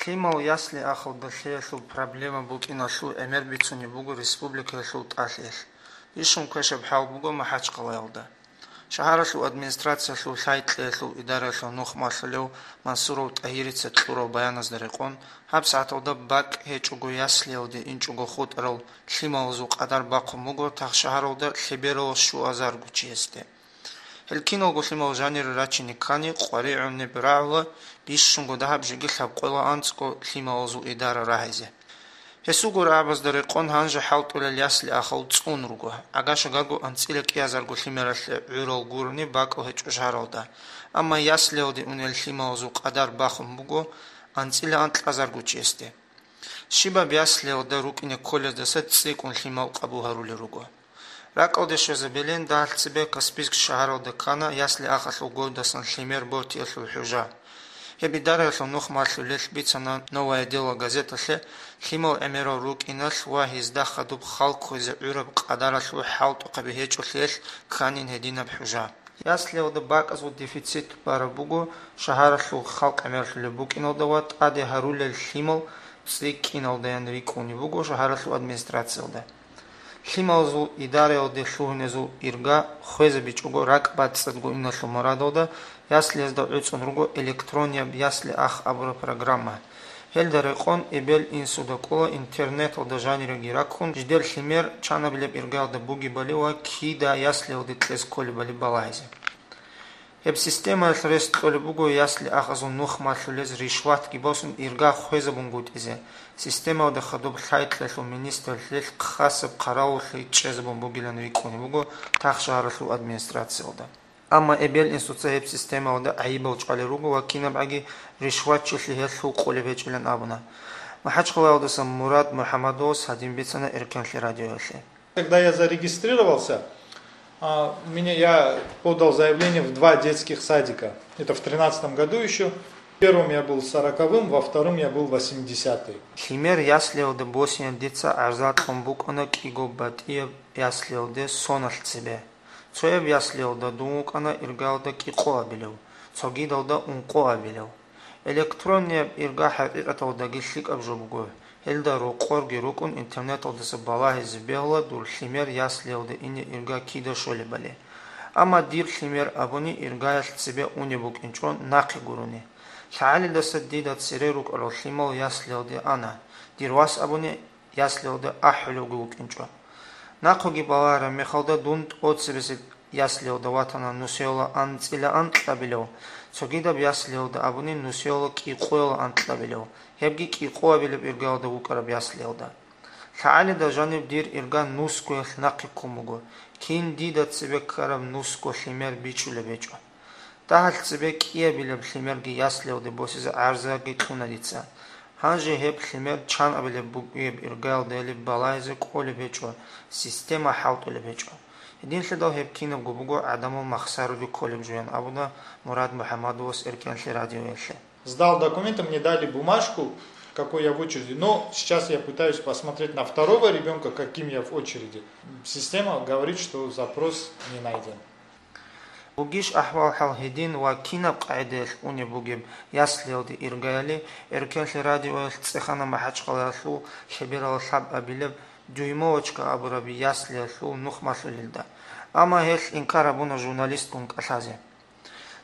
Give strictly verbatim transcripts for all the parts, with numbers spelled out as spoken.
Лъимал ясли-ахалда лъеялъул проблема букӀиналъул гӀемер бицунеб буго республикаялъул тӀалъиялъ. Бищун квешаб хӀал буго Махачкъалаялда. Шагьаралъул администрациялъул лъай-кьеялъул идараялъул нухмалъулев Мансуров ТӀагьирица кьурал баяназда рекъон, гьаб сагӀаталда бакӀ гьечӀого яслиялде инчӀого хутӀарал лъималазул къадар бахъун буго тахшагьаралда лъебералъ щуазарго чиясде. Гьел киналго лъимал жанире рачине ккани, къваригӀунеб рагӀула бищунго дагьаб жеги лъабкъоялда анцӀго лъималазул идара рагьизе. Гьесулго рагӀабазда рекъон гьанже хӀалтӀулел ясли-ахал цӀун руго, гӀага-шагарго анцӀила кӀиазарго лъимералъе гӀурал гурони бакӀал гьечӀо шагьаралда, амма яслиялде унел лъималазул къадар бахун буго анцӀила анкьазарго чиясде. Щибаб яслиялда рукӀине кколездаса цӀикӀкӀун лъимал къабул гьарулел руго. РакӀалде щвезабилин дагьалъ цебе Каспийск шагьаралда ккана ясли-ахалъул годасан лъимер бортиялъул хӀужа. Гьеб идараялъул нухмалъулелъ бицана «Новое дело» газеталъе лъимал гӀемерал рукӀиналъ ва гьезда хадуб хал кквезе гӀураб къадаралъул хӀалтӀухъаби гьечӀолъиялъ кканин гьединаб хӀужа. Яслиялда бакӀазул дефицит бараб буго шагьаралъул халкъ гӀемерлъулеб букӀиналда ва тӀаде гьарулел лъимал цӀикӀкӀиналдаян рикӀкӀунеб буго шагьаралъул администрациялда. Лъималазул идараялде лъугьинезул ирга хвезабичӀого ракӀбацӀцӀадго иналъул мурадалда яслиязда гӀуцӀун руго электронияб ясли-ах абураб программа. Гьелда рекъон эбел-инсуда кӀола интернеталда жаниреги раккун, жидер лъимер чанабилеб иргаялда бугебали ва кида яслиялде кьез кколебали балагьизе. Гьеб системаялъ рес кьолеб буго ясли-ахазул нухмалъулез ришватги босун ирга хвезабунгутӀизе, системалда хадуб лъай-кьеялъул министрлъилъ хасаб хъаравуллъи чӀезабун бугилан рикӀкӀунеб буго тахшагьаралъул администрациялда. Амма эбел-инсуца гьеб системалда гӀайибал чӀвалел руго ва кинабгӀаги ришватчилъи гьелъул къулеб гьечӀилан абуна. МахӀачхъалаялдаса Мурад МухӀамадовас гьадин бицана Эркенлъи радиоялъе. Когда я зарегистрировался, а, меня, я подал заявление в два детских садика. Это в тринадцатом году еще. В первом я был сороковым, во втором я был восьмидесятый. Лъимер яслиялда босине дица гӀарза кьун букӀана кӀиго батӀияб яслиялде соналъ цебе. Цояб яслиялда дун вукӀана иргаялда кӀикъоабилев, цогидалда ункъоабилев. Электроннияб ирга хӀакъикъаталдаги лъикӀаб жо буго, гьелда рокъорги рукӀун интернеталдаса балагьизе бегьула дур лъимер яслиялде ине ирга кида щолебали. Амма дир лъимер абуни иргаялъ цебе унеб букӀинчӀо нахъе гурони. ЛъагӀалидаса дида цере рукӀарал лъимал яслиялде ана, дир вас абуни яслиялда ахӀулевги вукӀинчӀо. Нахъеги балагьараб мехалда дун тӀоцебесеб яслиялда ватана нусиялда анцӀила анкьабилев, цогидаб яслиялда абуни нусиялда кӀикъоялда анкьабилев, гьебги кӀикъоабилеб иргаялда вукӀараб яслиялда. ЛъагӀалида жаниб дир ирга нусгоялъ нахъе ккун буго, кин дида цебе ккараб нусго лъимер бичӀчӀулеб гьечӀо. Дагьалъ цебе кӀиабилеб лъимерги яслиялде босизе гӀарзаги кьуна дица. Гьанже гьеб лъимер чанабилеб бугеб иргаялдайилеб балагьизе кӀолеб гьечӀо, система хӀалтӀулеб гьечӀо. Гьединлъидал гьеб кинабго буго гӀадамал махсаруде кколеб жоян абуна Мурад МухӀамадовас Эркенлъи радиоялъе. Сдал документы, мне дали бумажку, какой я в очереди. Но сейчас я пытаюсь посмотреть на второго ребёнка, каким я в очереди. Система говорит, что запрос не найден. Бугищ ахӀвал-хӀал гьедин ва кинаб къагӀидаялъ унеб бугеб яслиялде иргаяли, Эркенлъи радиоялъ цӀехана МахӀачхъалаялъул лъеберал лъабабилеб Дюймовочка абураб яслиялъул нухмалъулелда. Амма гьелъ инкар гьабуна журналистгун кӀалъазе.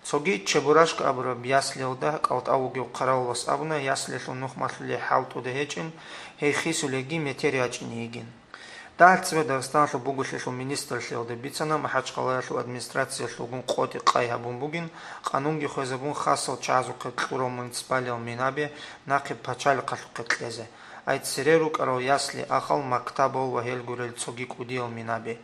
Цоги Чебурашка абураб яслиялда кӀалтӀав вугев хъаравулас абуна, яслиялъул нухмалъулей хӀалтӀуда гьечӀин, гьей хисулейги метер ячӀине йигин. Дагьалъ цебе Дагъистаналъул буголъиялъул министрлъиялда бицана МахӀачхъалаялъул администрациялъулгун къотӀи къай гьабун бугин, къанунги хвезабун хасал чагӀазухъе кьурал муниципалиял минаби нахъе пачалихъалъухъе кьезе, ай цере рукӀарал ясли-ахал, мактабал ва гьел гурел цоги кӀудиял минаби.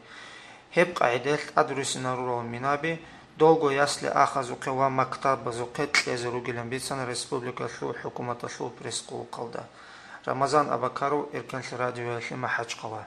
Гьеб къагӀидаялъ тӀадруссинарурал минаби долго ясли-ахазухъе ва мактабазухъе кьезе ругилан бицана республикалъул хӀукуматалъул пресс-къуллукъалда. Рамазан Абакаров, Эркенлъи радиоялъе, МахӀачхъала.